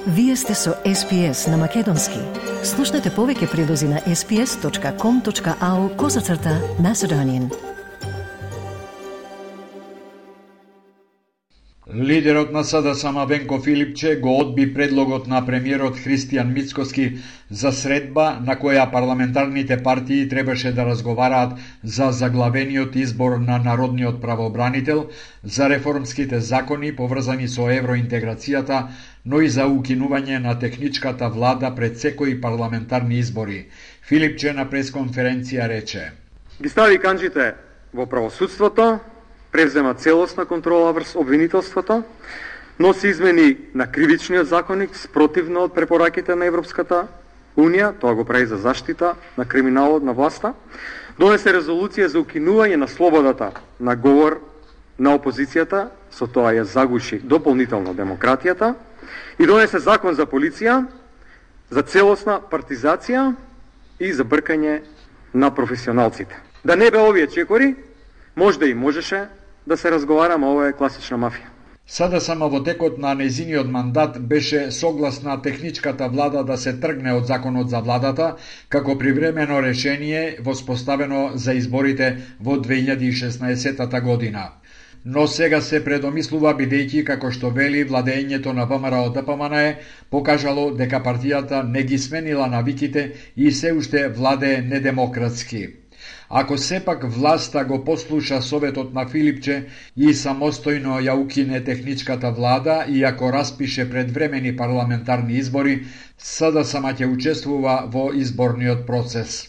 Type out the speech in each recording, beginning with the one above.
Вие сте со SPS на Македонски. Слушнете повеќе прилози на sps.com.au/Macedonian. Лидерот на СДСМ Венко Филипче го одби предлогот на премиерот Христијан Мицкоски за средба на која парламентарните партии требаше да разговараат за заглавениот избор на народниот правобранител, за реформските закони поврзани со евроинтеграцијата, но и за укинување на техничката влада пред секои парламентарни избори. Филипче на пресконференција рече: Ги стави канџите во правосудството, превзема целосна контрола врз обвинителството, носи измени на кривичниот законник спротивно од препораките на Европската Унија, тоа го прави за заштита на криминалот на власта, донесе резолуција за укинување на слободата на говор на опозицијата, со тоа ја загуши дополнително демократијата, и донесе закон за полиција, за целосна партизација и за бркање на професионалците. Да не бе овие чекори, можда и можеше да се разговараме, ова е класична мафија. СДСМ во текот на нејзиниот мандат беше согласна техничката влада да се тргне од законот за владата како привремено решение воспоставено за изборите во 2016 година. Но сега се предомислува бидејќи, како што вели, владењето на ВМРО-ДПМНЕ покажало дека партијата не ги сменила навиките и се уште владее недемократски. Ако сепак власта го послуша советот на Филипче и самостојно ја укине техничката влада и ако распише предвремени парламентарни избори, СДСМ ќе учествува во изборниот процес.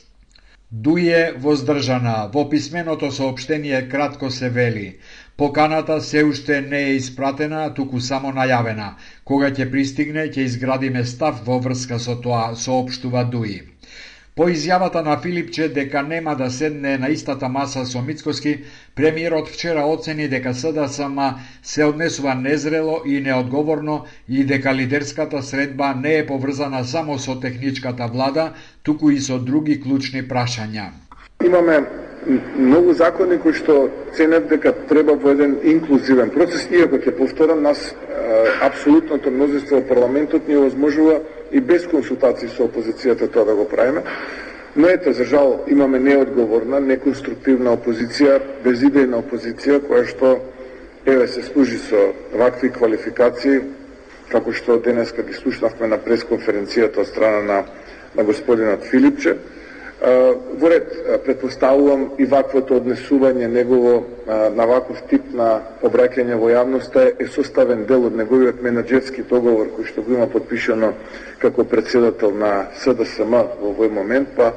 Дује воздржана. Во писменото соопштение кратко се вели: поканата се уште не е испратена, туку само најавена. Кога ќе пристигне, ќе изградиме став во врска со тоа, соопштува Дуи. По изјавата на Филипче дека нема да седне на истата маса со Мицкоски, премиерот вчера оцени дека СДСМ се однесува незрело и неодговорно и дека лидерската средба не е поврзана само со техничката влада, туку и со други клучни прашања. Имаме многу закони кои што ценат дека треба во еден инклузивен процес, иако ќе повторам, нас апсолутното мнозинство во парламентот ни овозможува и без консултации со опозицијата тоа да го правиме. Но ето, за жал, имаме неодговорна, неконструктивна опозиција, безидејна опозиција, која што се служи со вакви квалификации, како што денеска ги слушнавме на пресконференцијата од страна на господинот Филипче. Во ред, предпоставувам и ваквото однесување негово на ваков тип на обраќање во јавноста е составен дел од неговиот менаџерски договор кој што го има подпишано како председател на СДСМ во овој момент, па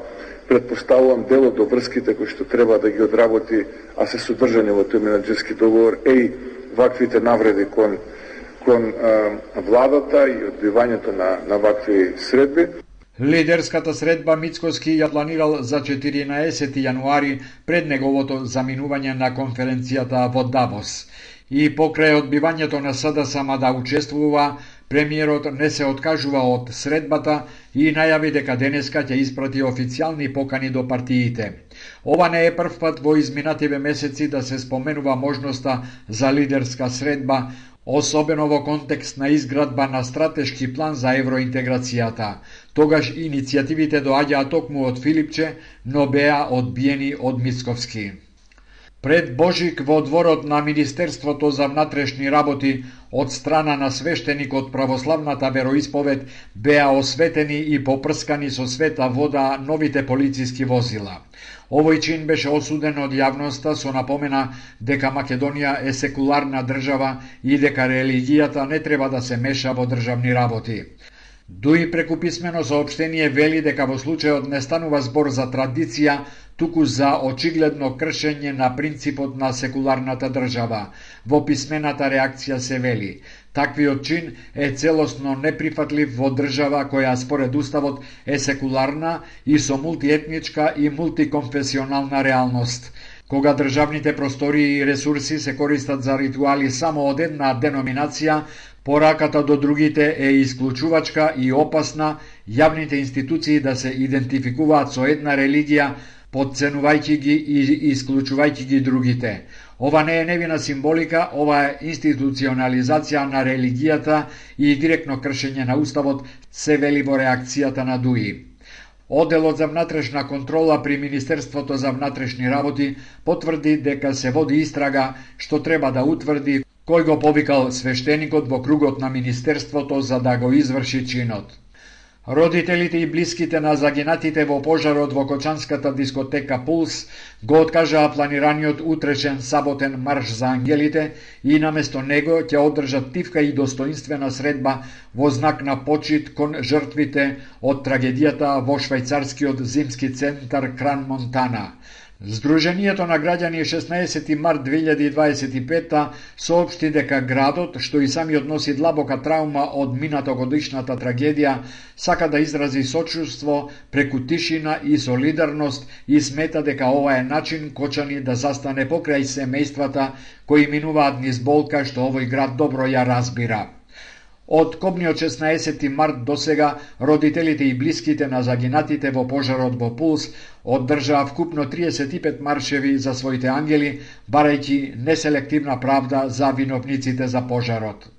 предпоставувам дел од обврските кои што треба да ги одработи, а се содржани во тој менаџерски договор и ваквите навреди кон владата и одбивањето на вакви средби. Лидерската средба Мицкоски ја планирал за 14 јануари пред неговото заминување на конференцијата во Давос. И покрај одбивањето на СДСМ да учествува, премиерот не се откажува од средбата и најави дека денеска ќе испрати официјални покани до партиите. Ова не е прв пат во изминативе месеци да се споменува можноста за лидерска средба, особено во контекст на изградба на стратешки план за евроинтеграцијата. Тогаш иницијативите доаѓаат токму од Филипче, но беа одбиени од Мицковски. Пред Божик во дворот на Министерството за внатрешни работи од страна на свештеник од православната вероисповед беа осветени и попрскани со света вода новите полициски возила. Овој чин беше осуден од јавноста со напомена дека Македонија е секуларна држава и дека религијата не треба да се меша во државни работи. Дуи преку писмено соопштение вели дека во случајот не станува збор за традиција, туку за очигледно кршење на принципот на секуларната држава. Во писмената реакција се вели: таквиот чин е целосно неприфатлив во држава која според уставот е секуларна и со мултиетничка и мултиконфесионална реалност. Кога државните простории и ресурси се користат за ритуали само од една деноминација, пораката до другите е исклучувачка и опасна, јавните институции да се идентификуваат со една религија, подценувајќи ги и исклучувајќи ги другите. Ова не е невина символика, ова е институционализација на религијата и директно кршење на уставот, се вели во реакцијата на ДУИ. Одделот за внатрешна контрола при Министерството за внатрешни работи потврди дека се води истрага што треба да утврди кој го повикал свештеникот во кругот на Министерството за да го изврши чинот. Родителите и блиските на загинатите во пожарот во Кочанската дискотека Пулс го откажаа планираниот утрешен саботен марш за ангелите и наместо него ќе одржат тивка и достоинствена средба во знак на почит кон жртвите од трагедијата во швајцарскиот зимски центар Кран Монтана. Сдруженијето на граѓани 16 март 2025 соопшти дека градот, што и самиот носи длабока траума од минатогодишната трагедија, сака да изрази сочувство преку тишина и солидарност и смета дека ова е начин Кочани да застане покрај семејствата кои минуваат низ болка што овој град добро ја разбира. Од кобниот 16 март до сега, родителите и блиските на загинатите во пожарот во Пулс оддржаа вкупно 35 маршеви за своите ангели, барајќи неселективна правда за виновниците за пожарот.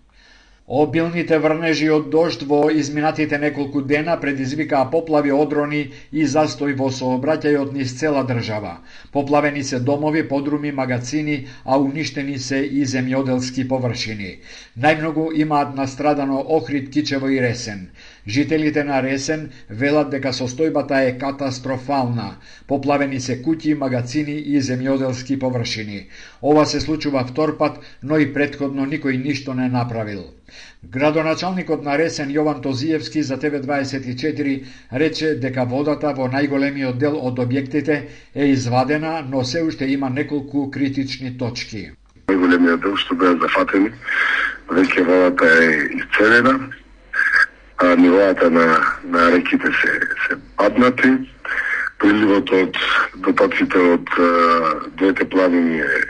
Обилните врнежи од дожд во изминатите неколку дена предизвикаа поплави, одрони и застој во сообраќајот низ цела држава. Поплавени се домови, подруми, магацини, а уништени се и земјоделски површини. Најмногу имаат настрадано Охрид, Кичево и Ресен. Жителите на Ресен велат дека состојбата е катастрофална. Поплавени се куќи, магацини и земјоделски површини. Ова се случува втор пат, но и претходно никој ништо не направил. Градоначалникот на Ресен Јован Тозиевски за ТВ24 рече дека водата во најголемиот дел од објектите е извадена, но се уште има неколку критични точки. Најголемиот дел што беа зафатени, веќе водата е исцелена, а нивоата на реките се паднати, приливот од дотоците од двете планини е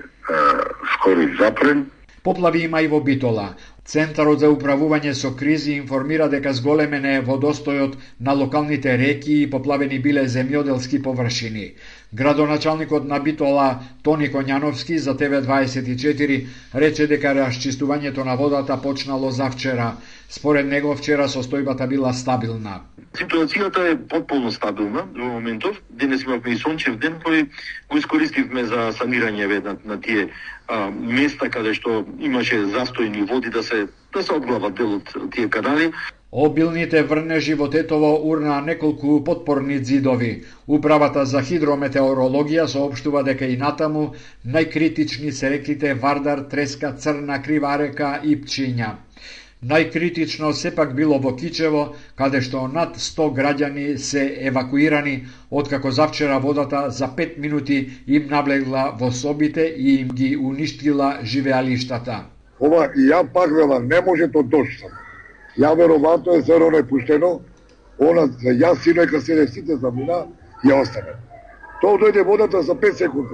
скоро запрен. Поплави има и во Битола. Центарот за управување со кризи информира дека зголемен е водостојот на локалните реки и поплавени биле земјоделски површини. Градоначалникот на Битола Тони Коњановски за ТВ24 рече дека расчистувањето на водата почнало завчера. Според него вчера состојбата била стабилна. Ситуацијата е потполно стабилна во моментов. Денес имавме и сончев ден кој го искористивме за санирање на тие места каде што имаше застојни води да се одглават дел од тие канали. Обилните врнежи во Тетово урнаа неколку потпорни ѕидови. Управата за хидрометеорологија соопштува дека и натаму најкритични се реките Вардар, Треска, Црна, Крива река и Пчиња. Најкритично сепак било во Кичево, каде што над 100 граѓани се евакуирани, откако завчера водата за 5 минути им наблегла во собите и им ги уништила живеалиштата. Ова и ја пак велам, не може то дожд. Ја веројатно е зеро непуштено, она за јас синојка седе сите замина и ја остане. Тоа дојде водата за 5 секунди.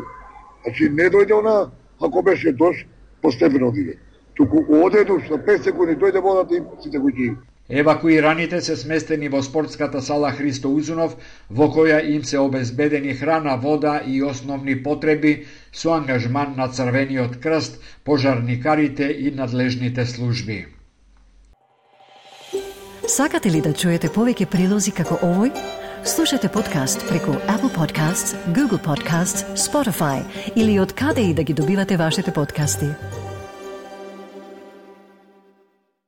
Значи не дојде она, ако беше дожд, постепено диде. Туку одеду за 5 секунди дојде водата и сите го ги. Евакуираните се сместени во спортската сала Христо Узунов, во која им се обезбедени храна, вода и основни потреби со ангажман на Црвениот крст, пожарникарите и надлежните служби. Сакате ли да чуете повеќе прилози како овој? Слушате подкаст преку Apple Podcasts, Google Podcasts, Spotify или од каде и да ги добивате вашите подкасти.